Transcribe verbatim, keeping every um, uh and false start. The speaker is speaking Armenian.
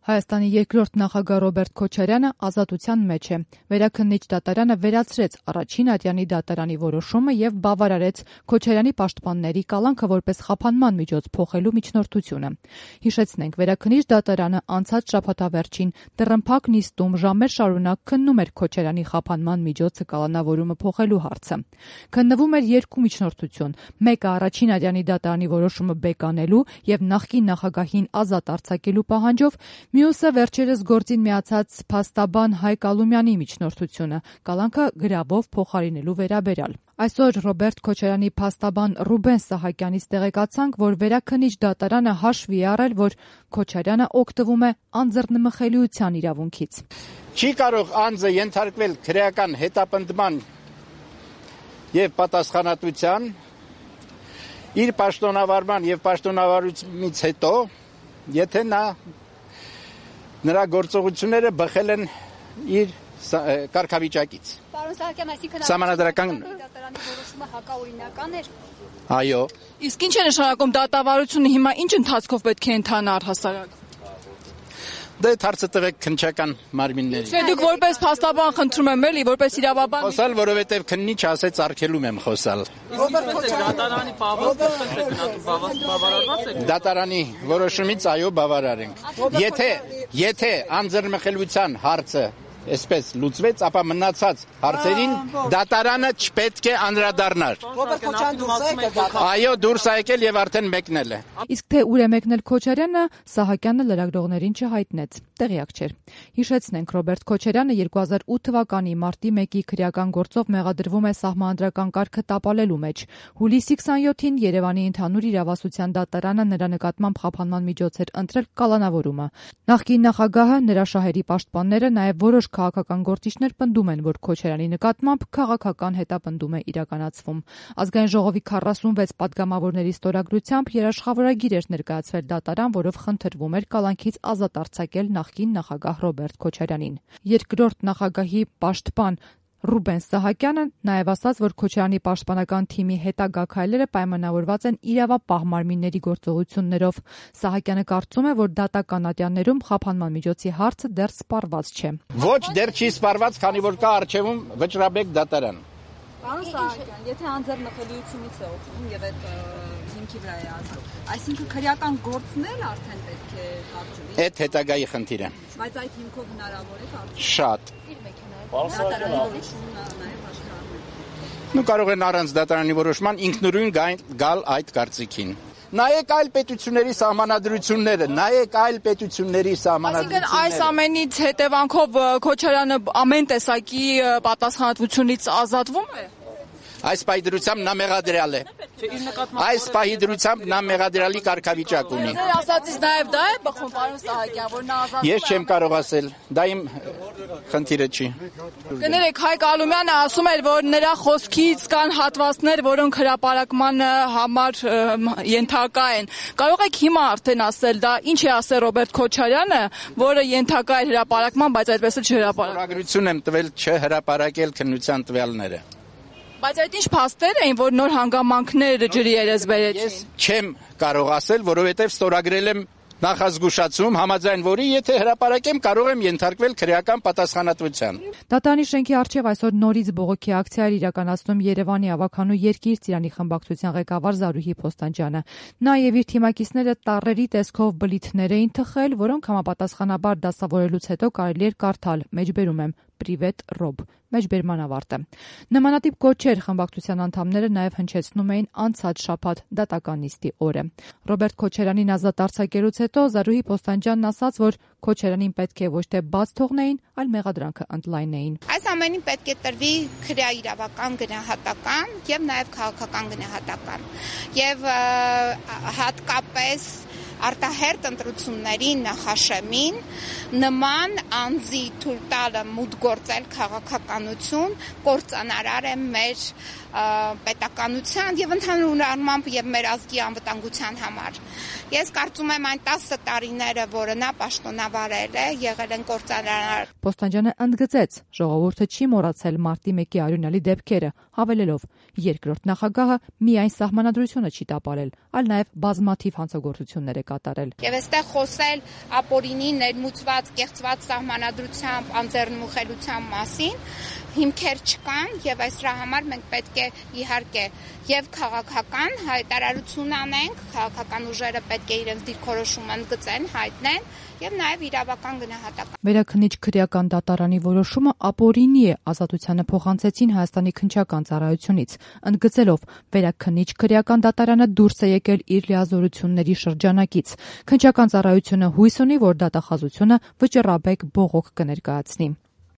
Հայաստանի երկրորդ նախագահ Ռոբերտ Քոչարյանը ազատության մեջ է։ Վերաքննիչ դատարանը վերացրեց առաջին ատյանի դատարանի որոշումը եւ բավարարեց Քոչարյանի պաշտպանների կալանքը որպես խափանման միջոց փոխելու միջնորդությունը։ Հիշեցնենք, վերաքննիչ դատարանը անցած շաբաթավերջին դռնփակ նիստում ժամեր շարունակ քննում էր Քոչարյանի խափանման միջոցը կալանավորումը փոխելու հարցը։ Քննվում էր երկու միջնորդություն՝ մեկը առաջին ատյանի դատարանի որոշումը բեկանելու եւ նախկին նախագահին ազատ արձակելու պահանջով, մյուսը վերջերս գործին միացած փաստաբան Հայկ Ալումյանի միջնորդությունը կալանքը գրավով փոխարինելու վերաբերյալ։ Այսօր Ռոբերտ Քոչարյանի փաստաբան Ռուբեն Սահակյանից տեղեկացանք, որ վերաքննիչ դատարանը հաշվի է առել, որ Քոչարյանը օգտվում է անձեռնմխելիության իրավունքից։ Չի կարող անձը ենթարկվել քրեական հետապնդման եւ պատասխանատվության իր պաշտոնավարման եւ պաշտոնավարությունից հետո, եթե նա նրա գործողությունները բխել են իր կարգավիճակից։ Պարոն Սահակյան, այսինքն Սահմանադրական դատարանի որոշումը հակաօրինական էր։ Այո։ Իսկ ինչ է նշանակում դատավարությունը հիմա ինչ ընթացքով պետք է ընթանա առհասարակ։ Դե հարցը տվեք քննչական մարմիններին։ Չէ, դուք որպես փաստաբան խնդրում եմ էլի, որպես իրավաբան։ Խոսալ, որովհետև քննիչ ասեց արգելում եմ խոսալ։ Դատարանի բավարարված եք։ Դատարանի որոշումից այո բավարար ենք։ Եթե եթե անձեռնմխելիության հարցը այսպես լուծվեց, ապա մնացած հարցերին դատարանը չպետք է անդրադառնար։ Այո, դուրս է եկել եւ արդեն մեկնել է։ Իսկ թե ուր է մեկնել Քոչարյանը, Սահակյանը լրագրողներին չհայտնեց, տեղյակ չէր։ Հիշեցնենք, Ռոբերտ Քոչարյանը երկու հազար ութ թվականի մարտի մեկի քրեական գործով մեղադրվում է սահմանադրական կարգը տապալելու մեջ։ Հուլիսի քսանյոթին Երևանի ընդհանուր իրավասության դատարանը նրա նկատմամբ խափանման միջոց էր ընտրել կալանավորումը։ Նախկին նախագահը, նրա շահերի պաշտպանները, նաեւ որոշ քաղաքական գործիչներ պնդում են, որ Քոչարյանի նկատմամբ քաղաքական հետապնդում է իրականացվում։ Ազգային ժողովի քառասունվեց պատգամավորների ստորագրությամբ երաշխավորագիր էր ներկայացվել դատարան, որով խնդրվում էր կալանքից ազատ արձակել նախկին նախագահ Ռոբերտ Քոչարյանին։ Երկրորդ նախագահի պաշտպան Ռուբեն Սահակյանը նաև ասաց, որ Քոչարյանի պաշտպանական թիմի հետագա քայլերը պայմանավորված են իրավապահ մարմինների գործողություններով։ Սահակյանը կարծում է, որ դատական ատյաններում խափանման միջոցի հարցը դեռ սպառված չէ։ Ոչ, դեռ չի սպառված, քանի որ կա առջևում վճռաբեկ դատարան։ Պարոն Սահակյան, եթե անձեռնմխելիությունից է օգնում եւ այդ հիմքի վրա է ասում, այսինքն քրեական գործն էլ արդեն պետք է կարճվի։ Այդ հետագայի խնդիր է։ Բայց այդ հիմքով հնարավոր է կարճվի։ Շատ։ Դատարանի որոշումն նաեւ աշխարհում։ Նու կարող են առանց դատարանի որոշման ինքնուրույն գալ այդ կարծիքին։ Նայեք այլ պետությունների սահմանադրությունները, նայեք այլ պետությունների սահմանադրությունները։ Այսինքն այս ամենից հետևանքով Քոչարյանը ամեն տեսակի պատասխանատվությունից ազատվում է։ Այս պահի դրությամբ նա մեղադրյալ է։ Այս պահի դրությամբ նա մեղադրյալի կարգավիճակ ունի։ Ձեր ասածից նաև դա է բխում, պարոն Սահակյան, որ նա ազատվում է։ Ես չեմ կարող ասել, դա իմ խնդիրը չի։ Կներեք, Հայկ Ալումյանը ասում էր, որ նրա խոսքից կան հատվածներ, որոնք հրապարակման համար ենթակա են։ Կարող եք հիմա արդեն ասել, դա ինչ է ասել Ռոբերտ Քոչարյանը, որը ենթակա է հրապարակման, բայց այդպես էլ չհրապարակվում։ Ստորագրություն եմ տվել չհրապարակել քննության տվյալները։ Բայց այդ ինչ փաստեր էին, որ նոր հանգամանքներ ջրի երես բերեցին։ Ես չեմ կարող ասել, որովհետև ստորագրել եմ նախազգուշացում, համաձայն որի եթե հրապարակեմ, կարող եմ ենթարկվել քրեական պատասխանատվության։ Դատարանի շենքի առջև այսօր նորից բողոքի ակցիա էր իրականացնում Երևանի ավականու Երկիր Ծիրանի խմբակցության ղեկավար Զարուհի Փոստանջյանը։ Նա եւ իր թիմակիցները տառերի տեսքով բլիթներ էին թխել, որոնք համապատասխանաբար դասավորելուց հետո կարելի էր կարդալ, մեջբերում եմ Պրիվետ Ռոբ, մեջբերման ավարտը։ Նմանատիպ կոչեր խմբակցության անդամները նաև հնչեցնում էին անցած շաբաթ դատական նիստի օրը։ Ռոբերտ Քոչարյանին ազատ արձակելուց հետո Զարուհի Փոստանջյանն ասաց, որ Քոչարյանին պետք է ոչ թե բաց թողնեին, այլ մեղադրանքը ընդլայնեին։ Այս ամենին պետք է տրվի քրեաիրավական գնահատական եւ նաեւ քաղաքական գնահատական։ Եվ հատկապես արտահերտ ընտրությունների նախաշեմին նման անձի թույլ տալը մուտք գործել քաղաքականություն կործանարար է մեր պետականության եւ ընդհանուր առմամբ եւ մեր ազգի անվտանգության համար։ Ես կարծում եմ այն տասը տարիները, որը նա պաշտոնավարել է, եղել են կործանարար։ Փոստանջյանը ընդգծեց, ժողովուրդը չի մոռացել մարտի մեկի արյունալի դեպքերը, հավելելով, երկրորդ նախագահը միայն սահմանադրությունը չի տապալել, այլ նաեւ բազմաթիվ հանցագործություններ է կատարել։ Եվ այստեղ խոսել ապօրինի ներմուծված, կեղծված սահմանադրությամբ, անձեռնմխելիության մասին հիմքեր չկան եւ այս դրա համար մենք պետք է իհարկե եւ քաղաքական հայտարարություն անենք, քաղաքական ուժերը պետք է իրենց դիրքորոշումը ընդգծեն, հայտնեն եւ նաեւ իրավական գնահատական։ Վերաքննիչ քրեական դատարանի որոշումը ապօրինի է, ազատությանը փոխանցեցին Հայաստանի քննչական ծառայությունից, ընդգծելով վերաքննիչ քրեական դատարանը դուրս է եկել իր լիազորությունների շրջանակից։ Քննչական ծառայությունը հույս ունի, որ դատախազությունը վճռաբեկ բողոք կներկայացնի։